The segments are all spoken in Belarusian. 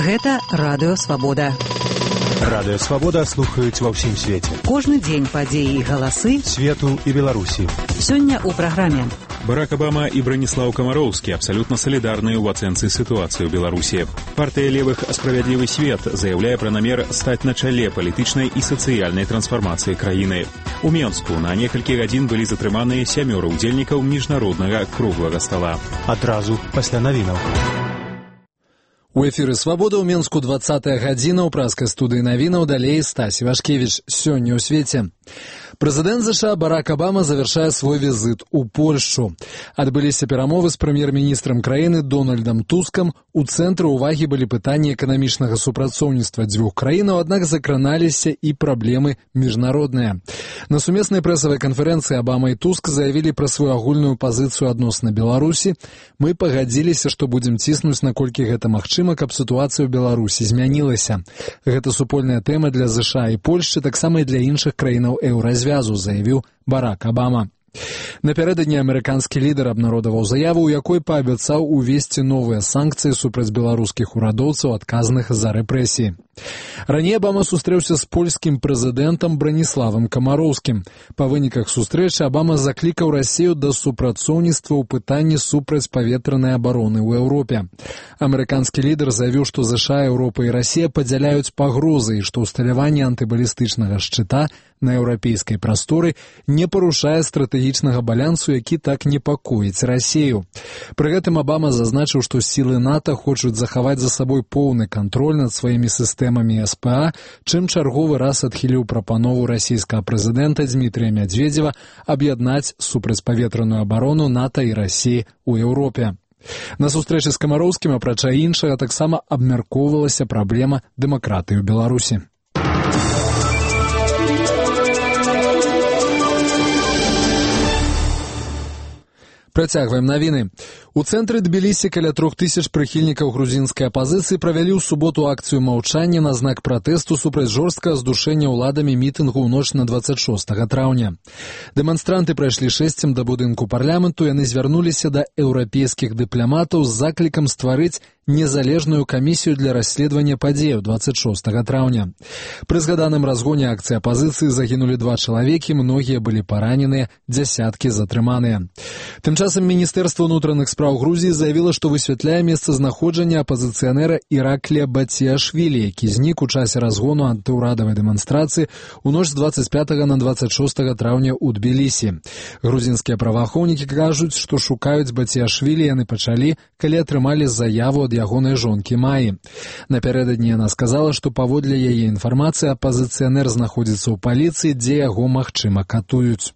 Гэта Радыё Свабода. Радыё Свабода слухаюць ва ўсім свеце. Кожны дзень падзеі і галасы свету і Беларусі. Сёння ў праграме. Барак Обама и Бронислав Комаровский абсолютно солидарны в оценке ситуации в Беларуси. Партия левых «Справедливый свет» заявляет про намер стать на чале политичной и социальной трансформации краины. У Менску на некалькі гадзін былі затрыманыя 7 удзельнікаў міжнароднага круглага стола. Адразу пасля навінаў. У эфіры «Свабода» ў Менску 20-я гадзіна ў праскай студыі навінаў, далей Стась Івашкевіч. Сёння ў свеце. Прэзідэнт США Барак Обама завяршае свой візіт у Польшчу. Адбыліся перамовы з прэм'ер-міністрам краіны Дональдам Тускам. У цэнтры ўвагі былі пытанні эканамічнага супрацоўніцтва дзвюх краінаў, аднак закраналіся і праблемы міжнародныя. На сумеснай прэсавай канферэнцыі Обама і Туск заявілі пра сваю агульную пазіцыю адносна Беларусі. Мы пагадзіліся, што будзем ціснуць, наколькі гэта магчыма, каб сітуацыя ў Беларусі змянілася. Гэта супольная тэма для США і Польшчы, таксама і для іншых краінаў еўразвязу, заявіў Барак Обама. Напярэдадні амерыканскі лідар абнародаваў заяву, у якой паабяцаў увесці новыя санкцыі супраць беларускіх урадоўцаў, адказных за рэпрэсіі. Раней Обама сустрэўся з польскім прэзідэнтам Брониславам Комароўскім. Па выніках сустрэчы Обама заклікаў Расію да супрацоўніцтва ў пытанні супрацьпаветранай абароны ў Еўропе. Амерыканскі лідар заявіў, што США, Еўропа і Расія падзяляюць пагрозы і што ўсталяванне антыбалістычнага шчыта на еўрапейскай прасторы не парушае стратэгічнага балансу, які так непакоіць Расію. Пры гэтым Обама зазначыў, што сілы НАТО хочуць захаваць за сабой поўны кантроль над сваімі сістэмамі СПА, чым чарговы раз адхіліў прапанову расійскага прэзідэнта Дмітрія Медведзева аб'яднаць супрацьпаветраную абарону НАТО і Расіі ў Еўропе. На сустрэчы з Камароўскім, апрача іншага, таксама абмяркоўвалася праблема дэмакратыі ў Беларусі. Працягваем навіны. У цэнтры Тбілісі каля 3000 прыхільнікаў грузінскай апазіцыі правялі ў суботу акцыю маўчання на знак пратэсту супраць жорсткага здушэння ўладамі мітынгу ў ноч на 26 траўня. Дэманстранты прайшлі шэсцем да будынку парламенту, яны звярнуліся да еўрапейскіх дыпламатаў з заклікам стварыць незалежную камісію для расследавання падзеяў 26 траўня. Пры згаданым разгоне акцыі апазіцыі загінулі 2 чалавекі, многія былі параненыя, дзясяткі затрыманыя. Тым часам Міністэрства ўнутраных спраў Грузіі заявіла, што высвятляе месцазнаходжанне апазіцыянера Іраклія Батіашвілі, які знік у часе разгону антыўрадавай дэманстрацыі ў ноч з 25 на 26 траўня ў Тбілісі. Грузінскія праваахоўнікі кажуць, што шукаюць Батіашвілі яны пачалі, калі атрымалі заяву ад ягонай жонкі Маі. Напярэдадні яна сказала, што паводле яе інфармацыі апазіцыянер знаходзіцца ў паліцыі, дзе яго, магчыма, катуюць.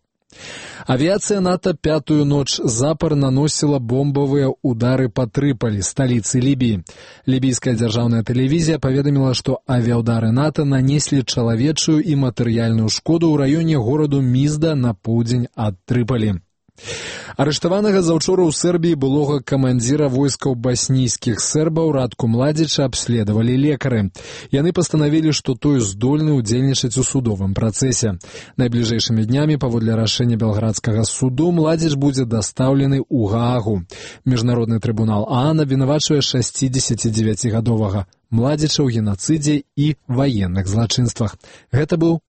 Авіяцыя НАТО 5-ю ноч запар наносіла бомбавыя ўдары па Трыполі, сталіцы Лібіі. Лібійская дзяржаўная тэлевізія паведаміла, што авіяўдары НАТО нанеслі чалавечую і матэрыяльную шкоду ў раёне гораду Мізда на поўдзень ад Трыполі. Арыштаванага заўчора ў Сербіі былога камандзіра войскаў баснійскіх сербаў Радку Младзіча абследавалі лекары. Яны пастанавілі, што той здольны ўдзельнічаць у судовым працэсе. Найбліжэйшымі днямі, паводле рашэння белградскага суду, Младзіч будзе дастаўлены ў Гаагу. Міжнародны трыбунал ААН абвінавачвае 69-гадовага Младзіча ў генацыдзе і ваенных злачынствах. Гэта быў